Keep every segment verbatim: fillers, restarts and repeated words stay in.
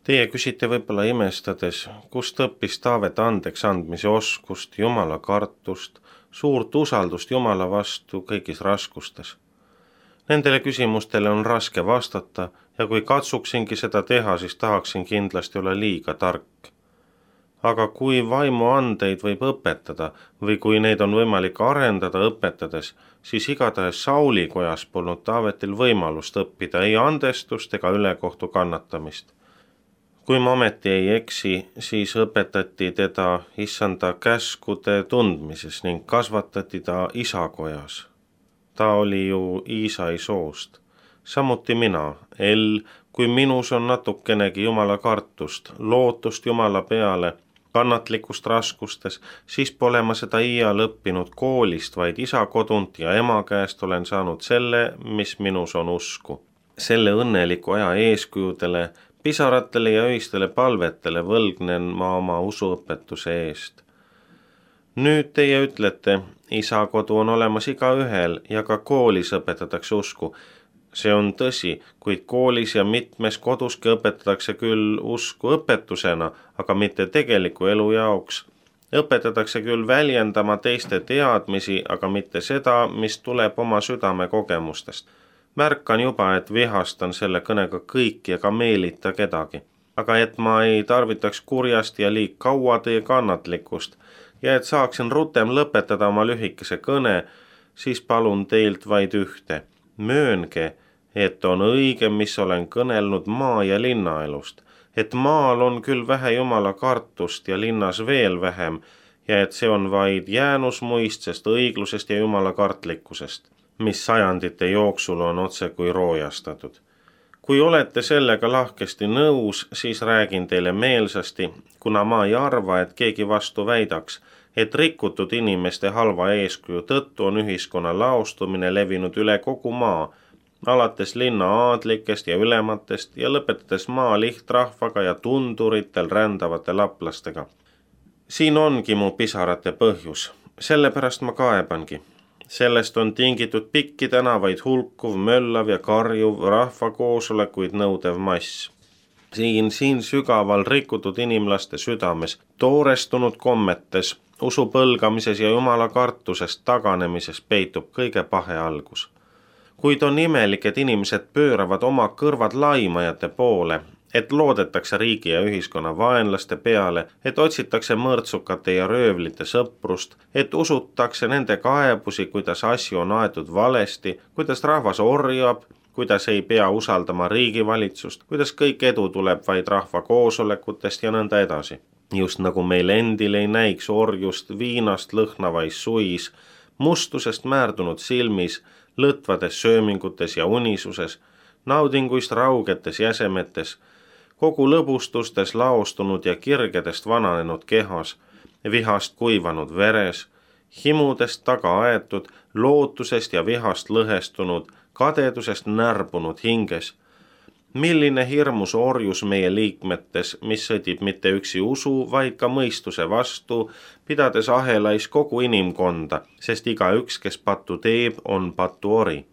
Teie küsite võib-olla imestades, kust õppis Taavet andeks andmise oskust, Jumala kartust, suurt usaldust Jumala vastu kõigis raskustes. Nendele küsimustele on raske vastata ja kui katsuksingi seda teha, siis tahaksin kindlasti olla liiga tark. Aga kui vaimuandeid võib õpetada või kui neid on võimalik arendada õpetades, siis igatahes Sauli kojas polnud Taavetil võimalust õppida ei andestust ega ülekohtu kannatamist. Kui ma ometi ei eksi, siis õpetati teda issanda käskude tundmises ning kasvatati ta isakojas. Ta oli ju Iisai soost. Samuti mina, El, kui minus on natukenegi Jumala kartust, lootust Jumala peale, kannatlikust raskustes, siis pole ma seda iial õppinud koolist, vaid isa kodunt ja ema käest olen saanud selle, mis minus on usku. Selle õnneliku aja eeskujudele, pisaratele ja öistele palvetele võlgnen ma oma usuõpetuse eest. Nüüd teie ütlete, isa kodu on olemas igaühel ja ka koolis õpetatakse usku. See on tõsi, kuid koolis ja mitmes koduski õpetatakse küll usku õpetusena, aga mitte tegeliku elu jaoks. Õpetatakse küll väljendama teiste teadmisi, aga mitte seda, mis tuleb oma südame kogemustest. Märkan juba, et vihastan selle kõnega kõiki ega meelita kedagi. Aga et ma ei tarvitaks kurjast ja liig kaua teie kannatlikkust ja et saaksin rutem lõpetada oma lühikese kõne, siis palun teilt vaid ühte. Möönge, et on õige, mis olen kõnelnud maa- ja linnaelust, et maal on küll vähe Jumala kartust ja linnas veel vähem ja et see on vaid jäänusmuistsest õiglusest ja Jumala kartlikkusest, mis sajandite jooksul on otse kui roojastatud. Kui olete sellega lahkesti nõus, siis räägin teile meelsasti, kuna ma ei arva, et keegi vastu väidaks, et rikutud inimeste halva eeskuju tõttu on ühiskonna laostumine levinud üle kogu maa, alates linna aadlikest ja ülematest ja lõpetades maa lihtrahvaga ja tunduritel rändavate laplastega. Siin ongi mu pisarate põhjus, sellepärast ma kaebangi. Sellest on tingitud pikki tänavaid hulkuv, möllav ja karjuv, rahvakoosolekuid nõudev mass. Siin, siin sügaval rikutud inimlaste südames, toorestunud kommetes, usu põlgamises ja Jumala kartusest taganemises peitub kõige pahe algus. Kuid on imelik, et inimesed pööravad oma kõrvad laimajate poole, et loodetakse riigi ja ühiskonna vaenlaste peale, et otsitakse mõrtsukate ja röövlite sõprust, et usutakse nende kaebusi, kuidas asju on aetud valesti, kuidas rahvas orjab, kuidas ei pea usaldama riigivalitsust, kuidas kõik edu tuleb vaid rahva koosolekutest ja nõnda edasi. Just nagu meil endil ei näiks orjust viinast lõhnavais suis, mustusest määrdunud silmis, lõtvades söömingutes ja unisuses, naudinguist raugetes jäsemetes, kogu lõbustustes laostunud ja kirgedest vananenud kehas, vihast kuivanud veres, himudest taga aetud, lootusest ja vihast lõhestunud, kadedusest närbunud hinges. Milline hirmus orjus meie liikmetes, mis sõdib mitte üksi usu, vaid ka mõistuse vastu, pidades ahelais kogu inimkonda, sest igaüks, kes pattu teeb, on patuori.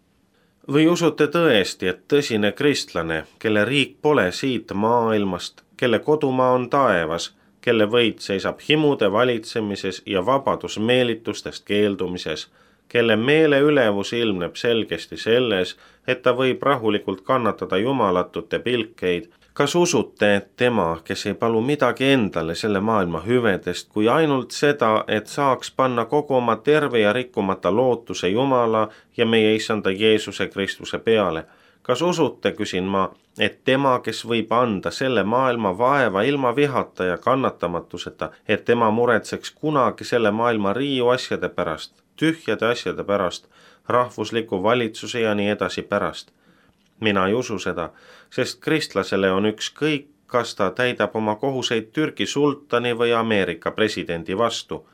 Või usute tõesti, et tõsine kristlane, kelle riik pole siit maailmast, kelle kodumaa on taevas, kelle võit seisab himude valitsemises ja vabadus meelitustest keeldumises, kelle meele ülevus ilmneb selgesti selles, et ta võib rahulikult kannatada jumalatute pilkeid. Kas usute, et tema, kes ei palu midagi endale selle maailma hüvedest, kui ainult seda, et saaks panna kogu oma terve ja rikkumata lootuse Jumala ja meie issanda Jeesuse Kristuse peale? Kas usute, küsin ma, et tema, kes võib anda selle maailma vaeva ilma vihata ja kannatamatuseta, et tema muretseks kunagi selle maailma riiu asjade pärast, tühjade asjade pärast, rahvusliku valitsuse ja nii edasi pärast? Mina ei usu seda, sest kristlasele on ükskõik, kas ta täidab oma kohuseid Türgi sultani või Ameerika presidendi vastu.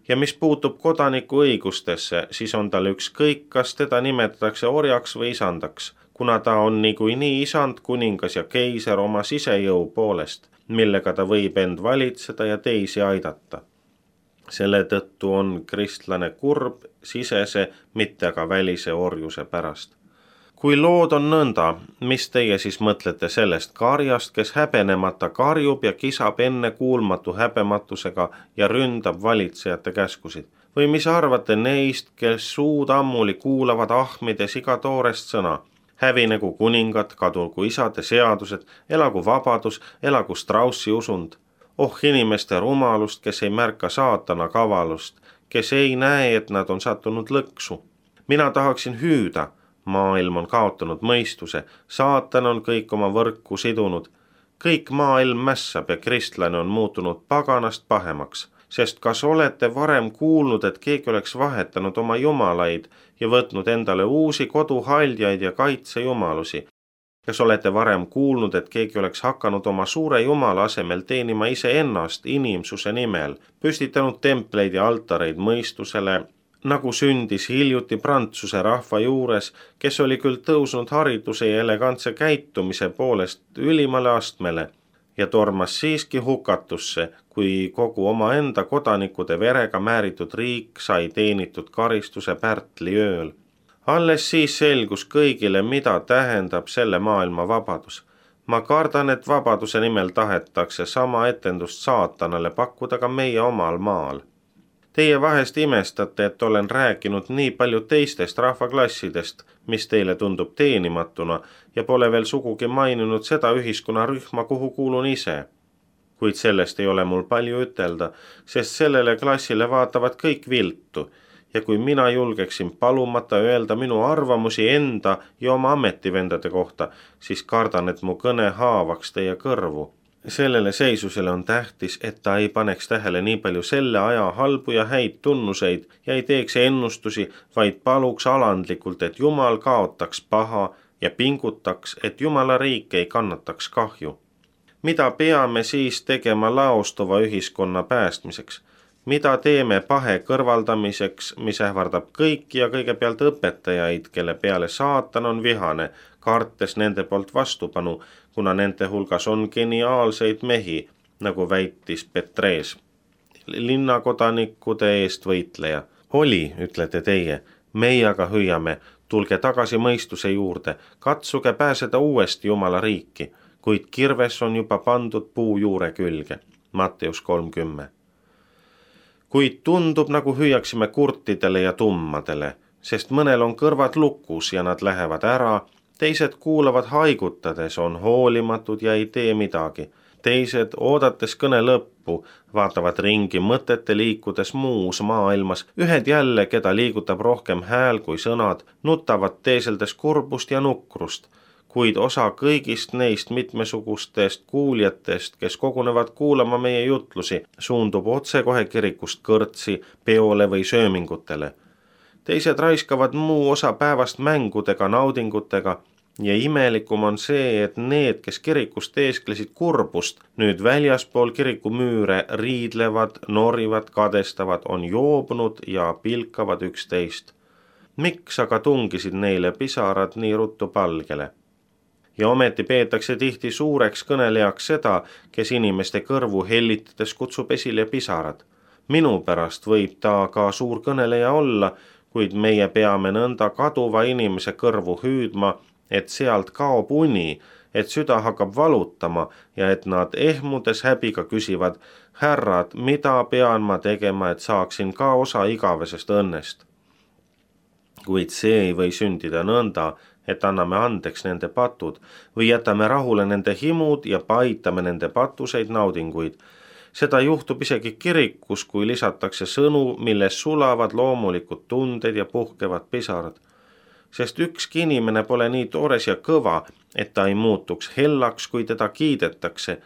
Ja mis puutub kodaniku õigustesse, siis on tal ükskõik, kas teda nimetatakse orjaks või isandaks, kuna ta on niikuinii isand, kuningas ja keiser oma sisejõu poolest, millega ta võib end valitseda ja teisi aidata. Selle tõttu on kristlane kurb sisese, mitte aga välise orjuse pärast. Kui lood on nõnda, mis teie siis mõtlete sellest karjast, kes häbenemata karjub ja kisab enne kuulmatu häbematusega ja ründab valitsejate käskusid? Või mis arvate neist, kes suud ammuli kuulavad ahmides iga toorest sõna? Hävinegu kuningad, kadugu isade seadused, elagu vabadus, elagu Straussi usund. Oh inimeste rumalust, kes ei märka saatana kavalust, kes ei näe, et nad on sattunud lõksu. Mina tahaksin hüüda. Maailm on kaotanud mõistuse, saatan on kõik oma võrku sidunud. Kõik maailm mässab ja kristlane on muutunud paganast pahemaks, sest kas olete varem kuulnud, et keegi oleks vahetanud oma jumalaid ja võtnud endale uusi koduhaljaid ja kaitsejumalusi? Kas olete varem kuulnud, et keegi oleks hakanud oma suure jumala asemel teenima iseennast inimsuse nimel, püstitanud templeid ja altareid mõistusele, nagu sündis hiljuti Prantsuse rahva juures, kes oli küll tõusnud hariduse ja elegantse käitumise poolest ülimale astmele ja tormas siiski hukatusse, kui kogu omaenda kodanikude verega määritud riik sai teenitud karistuse Pärtli ööl. Alles siis selgus kõigile, mida tähendab selle maailma vabadus. Ma kardan, et vabaduse nimel tahetakse sama etendust saatanale pakkuda ka meie omal maal. Teie vahest imestate, et olen rääkinud nii palju teistest rahvaklassidest, mis teile tundub teenimatuna ja pole veel sugugi maininud seda ühiskonnarühma, kuhu kuulun ise. Kuid sellest ei ole mul palju ütelda, sest sellele klassile vaatavad kõik viltu ja kui mina julgeksin palumata öelda minu arvamusi enda ja oma ametivendade kohta, siis kardan, et mu kõne haavaks teie kõrvu. Sellele seisusele on tähtis, et ta ei paneks tähele nii palju selle aja halbu ja häid tunnuseid ja ei teeks ennustusi, vaid paluks alandlikult, et Jumal kaotaks paha ja pingutaks, et Jumala riik ei kannataks kahju. Mida peame siis tegema laostuva ühiskonna päästmiseks? Mida teeme pahe kõrvaldamiseks, mis ähvardab kõiki ja kõigepealt õpetajaid, kelle peale saatan on vihane, kartes nende poolt vastupanu, kuna nende hulgas on geniaalseid mehi, nagu väitis Petrees, linnakodanikude eest võitleja. Oli, ütlete teie, meie aga hüüame, tulge tagasi mõistuse juurde, katsuge pääseda uuesti Jumala riiki, kuid kirves on juba pandud puu juure külge. Matteus kolmkümmend. Kuid tundub, nagu hüüaksime kurtidele ja tummadele, sest mõnel on kõrvad lukus ja nad lähevad ära, teised kuulavad haigutades, on hoolimatud ja ei tee midagi. Teised, oodates kõne lõppu, vaatavad ringi mõtete liikudes muus maailmas, ühed jälle, keda liigutab rohkem hääl kui sõnad, nutavad teeseldes kurbust ja nukrust, kuid osa kõigist neist mitmesugustest kuuljatest, kes kogunevad kuulama meie jutlusi, suundub otsekohe kirikust kõrtsi, peole või söömingutele. Teised raiskavad muu osa päevast mängudega, naudingutega ja imelikum on see, et need, kes kirikust teesklesid kurbust, nüüd väljaspool kirikumüüre riidlevad, norivad, kadestavad, on joobnud ja pilkavad üksteist. Miks aga tungisid neile pisarad nii ruttu palgele? Ja ometi peetakse tihti suureks kõnelejaks seda, kes inimeste kõrvu hellitades kutsub esile pisarad. Minu pärast võib ta ka suur kõneleja olla, kuid meie peame nõnda kaduva inimese kõrvu hüüdma, et sealt kaob uni, et süda hakkab valutama ja et nad ehmudes häbiga küsivad, härrad, mida pean ma tegema, et saaksin ka osa igavesest õnnest. Kuid see ei või sündida nõnda, et anname andeks nende patud või jätame rahule nende himud ja paitame nende patuseid naudinguid. Seda juhtub isegi kirikus, kui lisatakse sõnu, milles sulavad loomulikud tunded ja puhkevad pisarad. Sest ükski inimene pole nii toores ja kõva, et ta ei muutuks hellaks, kui teda kiidetakse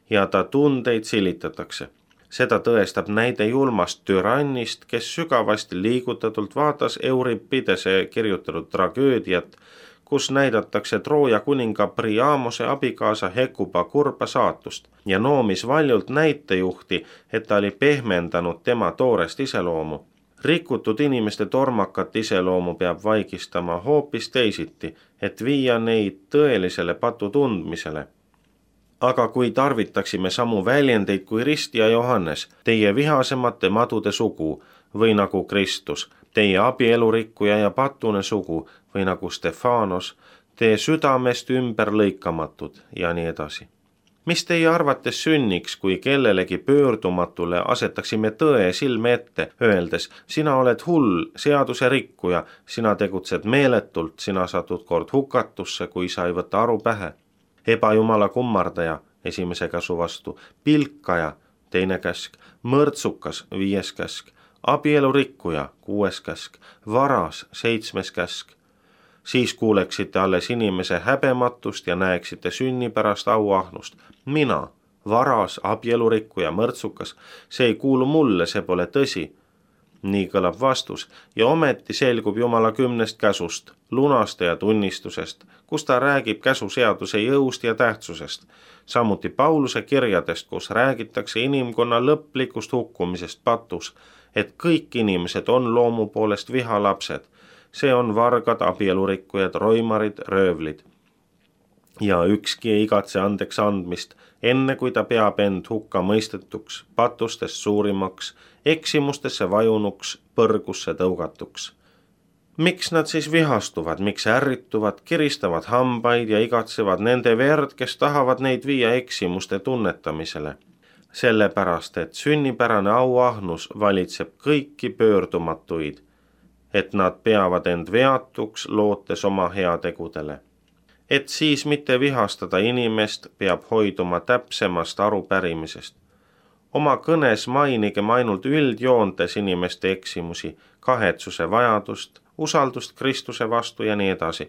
ja ta tundeid silitatakse. Seda tõestab näide julmast türannist, kes sügavasti liigutatult vaatas Euripidese kirjutatud tragöödiat, kus näidatakse Trooja kuninga Priamose abikaasa Hekuba kurba saatust ja noomis valjult näitejuhti, et ta oli pehmendanud tema toorest iseloomu. Rikutud inimeste tormakat iseloomu peab vaigistama hoopis teisiti, et viia neid tõelisele patu tundmisele. Aga kui tarvitaksime samu väljendeid kui Rist ja Johannes, teie vihasemate madude sugu, või nagu Kristus, teie abielurikkuja ja patune sugu või nagu Stefanos, tee südamest ümber lõikamatud ja nii edasi. Mis teie arvates sünniks, kui kellelegi pöördumatule asetaksime tõe silme ette, öeldes, sina oled hull, seaduse rikkuja, sina tegutsed meeletult, sina satud kord hukatusse, kui sa ei võta aru pähe. Ebajumala kummardaja, esimese käsu vastu, pilkaja, teine käsk, mõrtsukas, viies käsk, abielurikkuja, kuues käsk, varas, seitsmes käsk. Siis kuuleksite alles inimese häbematust ja näeksite sünnipärast auahnust. Mina, varas, abielurikkuja, mõrtsukas, see ei kuulu mulle, see pole tõsi. Nii kõlab vastus ja ometi selgub Jumala kümnest käsust, lunastaja tunnistusest, kus ta räägib käsuseaduse jõust ja tähtsusest. Samuti Pauluse kirjadest, kus räägitakse inimkonna lõplikust hukkumisest patus, et kõik inimesed on loomu poolest vihalapsed. See on vargad, abielurikkujad, roimarid, röövlid. Ja ükski ei igatse andeks andmist, enne kui ta peab end hukka mõistetuks, patustest suurimaks, eksimustesse vajunuks, põrgusse tõugatuks. Miks nad siis vihastuvad, miks ärrituvad, kiristavad hambaid ja igatsevad nende verd, kes tahavad neid viia eksimuste tunnetamisele? Sellepärast, et sünnipärane auahnus valitseb kõiki pöördumatuid, et nad peavad end veatuks, lootes oma heategudele. Et siis mitte vihastada inimest, peab hoiduma täpsemast arupärimisest. Oma kõnes mainigem ainult üldjoontes inimeste eksimusi, kahetsuse vajadust, usaldust Kristuse vastu ja nii edasi.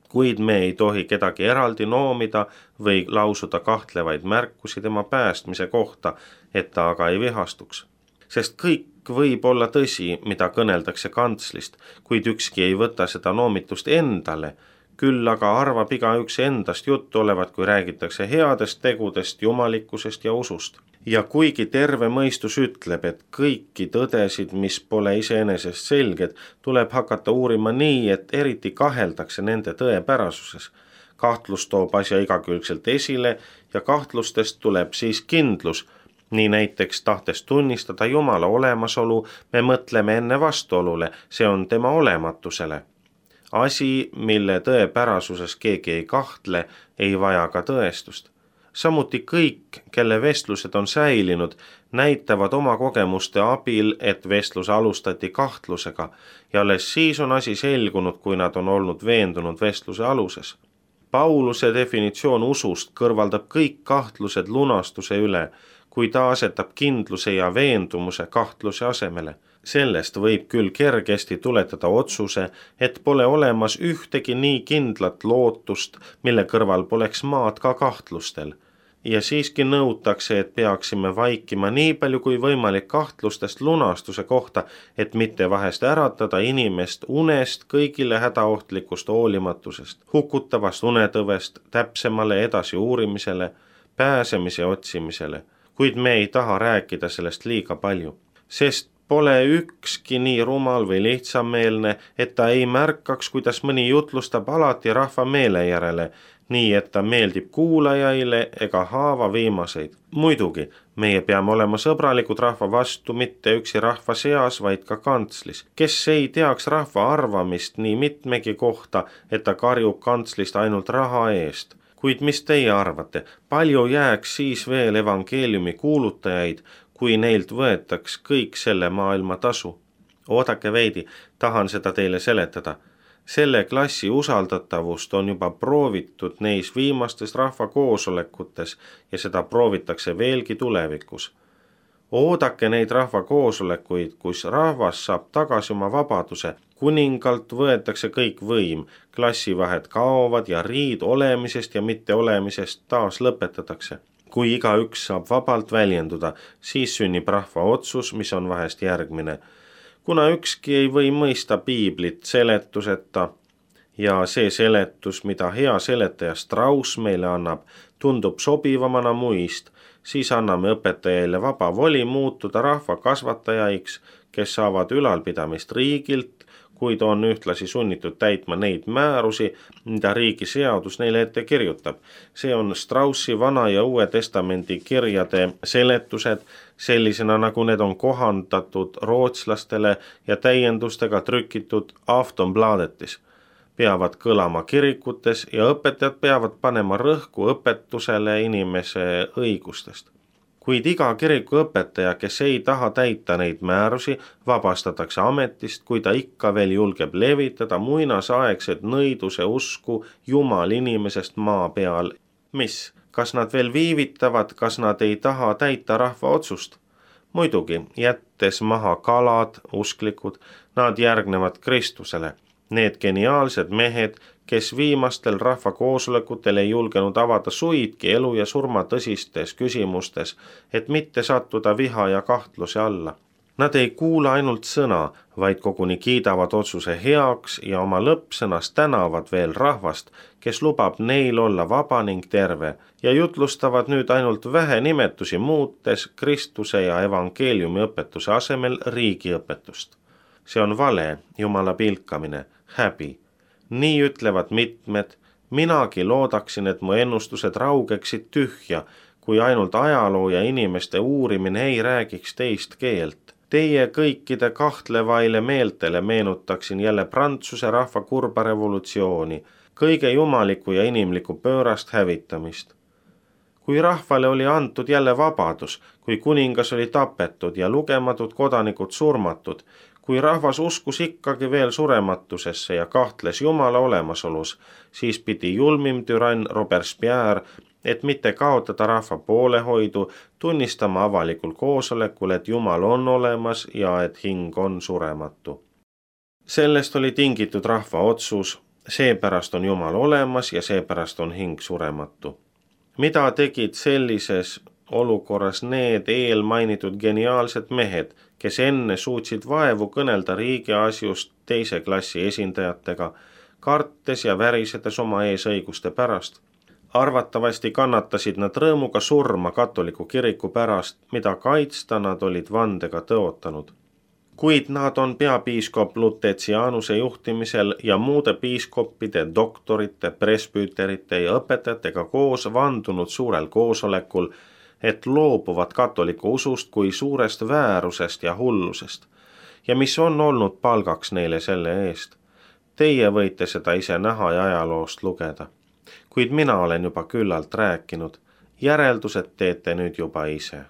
Kuid me ei tohi kedagi eraldi noomida või lausuda kahtlevaid märkusi tema päästmise kohta, et ta aga ei vihastuks. Sest kõik võib olla tõsi, mida kõneldakse kantslist, kuid ükski ei võta seda noomitust endale, küll aga arvab igaüks endast juttu olevat, kui räägitakse headest tegudest, jumalikkusest ja usust. Ja kuigi terve mõistus ütleb, et kõiki tõdesid, mis pole iseenesest selged, tuleb hakata uurima nii, et eriti kaheldakse nende tõepärasuses. Kahtlus toob asja igakülgselt esile ja kahtlustest tuleb siis kindlus. Nii näiteks tahtes tunnistada Jumala olemasolu, me mõtleme enne vastuolule, see on tema olematusele. Asi, mille tõepärasuses keegi ei kahtle, ei vaja ka tõestust. Samuti kõik, kelle vestlused on säilinud, näitavad oma kogemuste abil, et vestlus alustati kahtlusega ja alles siis on asi selgunud, kui nad on olnud veendunud vestluse aluses. Pauluse definitsioon usust kõrvaldab kõik kahtlused lunastuse üle, kui ta asetab kindluse ja veendumuse kahtluse asemele. Sellest võib küll kergesti tuletada otsuse, et pole olemas ühtegi nii kindlat lootust, mille kõrval poleks maad ka kahtlustel. Ja siiski nõutakse, et peaksime vaikima nii palju kui võimalik kahtlustest lunastuse kohta, et mitte vahest äratada inimest unest kõigile hädaohtlikust hoolimatusest, hukutavast unetõvest, täpsemale edasi uurimisele, pääsemise otsimisele. Kuid me ei taha rääkida sellest liiga palju, sest pole ükski nii rumal või lihtsameelne, et ta ei märkaks, kuidas mõni jutlustab alati rahva meele järele, nii et ta meeldib kuulajaile ega haava viimaseid. Muidugi, meie peame olema sõbralikud rahva vastu mitte üksi rahva seas, vaid ka kantslis, kes ei teaks rahva arvamist nii mitmegi kohta, et ta karjub kantslist ainult raha eest. Kuid mis teie arvate, palju jääks siis veel evangeeliumi kuulutajaid, kui neilt võetaks kõik selle maailma tasu? Oodake veidi, tahan seda teile seletada. Selle klassi usaldatavust on juba proovitud neis viimastes rahvakoosolekutes ja seda proovitakse veelgi tulevikus. Oodake neid rahvakoosolekuid, kus rahvas saab tagasi oma vabaduse, kuningalt võetakse kõik võim, klassivahed kaovad ja riid olemisest ja mitte olemisest taas lõpetatakse. Kui igaüks saab vabalt väljenduda, siis sünnib rahva otsus, mis on vahest järgmine. Kuna ükski ei või mõista piiblit seletuseta ja see seletus, mida hea seletaja Strauss meile annab, tundub sobivamana muist, siis anname õpetajaile vaba voli muutuda rahva kasvatajaiks, kes saavad ülalpidamist riigilt, kuid on ühtlasi sunnitud täitma neid määrusi, mida riigi seadus neile ette kirjutab. See on Straussi Vana ja Uue Testamendi kirjade seletused, sellisena nagu need on kohandatud rootslastele ja täiendustega trükitud Aftonbladetis, peavad kõlama kirikutes ja õpetajad peavad panema rõhku õpetusele inimese õigustest. Kuid iga kiriku õpetaja, kes ei taha täita neid määrusi, vabastatakse ametist, kui ta ikka veel julgeb levitada muinasaegset nõiduse usku Jumal inimesest maa peal. Mis? Kas nad veel viivitavad, kas nad ei taha täita rahva otsust? Muidugi, jättes maha kalad, usklikud, nad järgnevad Kristusele. Need geniaalsed mehed, kes viimastel rahvakoosolekutel ei julgenud avada suidki elu ja surma tõsistes küsimustes, et mitte sattuda viha ja kahtluse alla. Nad ei kuula ainult sõna, vaid koguni kiidavad otsuse heaks ja oma lõppsõnas tänavad veel rahvast, kes lubab neil olla vaba ning terve ja jutlustavad nüüd ainult vähe nimetusi muutes Kristuse ja evangeeliumi õpetuse asemel riigiõpetust. See on vale, Jumala pilkamine, häbi. Nii ütlevad mitmed, minagi loodaksin, et mu ennustused raugeksid tühja, kui ainult ajaloo ja inimeste uurimine ei räägiks teist keelt. Teie kõikide kahtlevaile meeltele meenutaksin jälle Prantsuse rahva kurba revolutsiooni, kõige jumaliku ja inimliku pöörast hävitamist. Kui rahvale oli antud jälle vabadus, kui kuningas oli tapetud ja lugematud kodanikud surmatud, kui rahvas uskus ikkagi veel surematusesse ja kahtles Jumala olemasolus, siis pidi julmim türann Robespierre, et mitte kaotada rahva poolehoidu, tunnistama avalikul koosolekul, et Jumal on olemas ja et hing on surematu. Sellest oli tingitud rahva otsus, seepärast on Jumal olemas ja seepärast on hing surematu. Mida tegid sellises olukorras need eelmainitud geniaalsed mehed, kes enne suutsid vaevu kõnelda riigi asjust teise klassi esindajatega, kartes ja värisedes oma eesõiguste pärast? Arvatavasti kannatasid nad rõõmuga surma katoliku kiriku pärast, mida kaitsta nad olid vandega tõotanud. Kuid nad on peapiiskop Lutetsianuse juhtimisel ja muude piiskoppide, doktorite, presbüüterite ja õpetajatega koos vandunud suurel koosolekul, et loobuvad katoliku usust kui suurest väärusest ja hullusest. Ja mis on olnud palgaks neile selle eest? Teie võite seda ise näha ja ajaloost lugeda. Kuid mina olen juba küllalt rääkinud, järeldused teete nüüd juba ise.